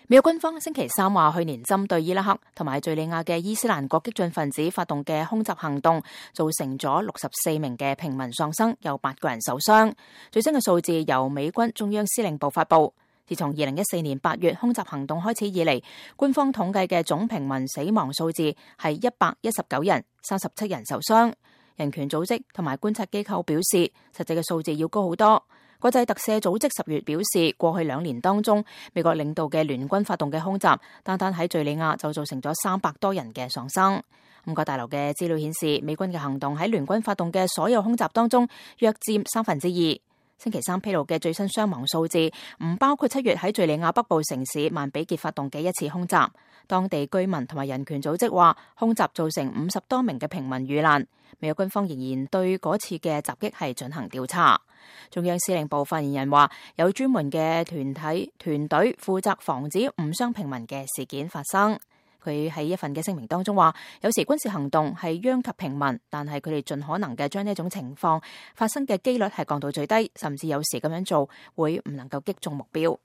美國軍方星期三話，去年針對伊拉克同埋敘利亞嘅伊斯蘭國激進分子發動嘅空襲行動，造成咗64名嘅平民喪生，有8個人受傷。最新嘅數字由美軍中央司令部發布。自從2014年8月空襲行動開始以嚟，官方統計嘅總平民死亡數字係119人，37人受傷。人權組織同埋觀察機構表示，實際嘅數字要高好多。國際特赦組織10月表示，過去2年當中，美國領導嘅聯軍發動嘅空襲，單單喺敘利亞就造成咗300多人嘅喪生。五角大樓嘅資料顯示，美軍嘅行動喺聯軍發動嘅所有空襲當中，約佔2/3。星期三披露嘅最新傷亡數字唔包括7月喺敘利亞北部城市曼比傑發動嘅一次空襲。當地居民同埋人權組織話，空襲造成50多名嘅平民遇難。美國軍方仍然對嗰次嘅襲擊係進行調查。中央司令部發言人話，有專門嘅團隊負責防止誤傷平民嘅事件發生。佢喺一份嘅聲明當中話，有時軍事行動係殃及平民，但係佢哋盡可能嘅將呢一種情況發生嘅機率係降到最低，甚至有時咁樣做會唔能夠擊中目標。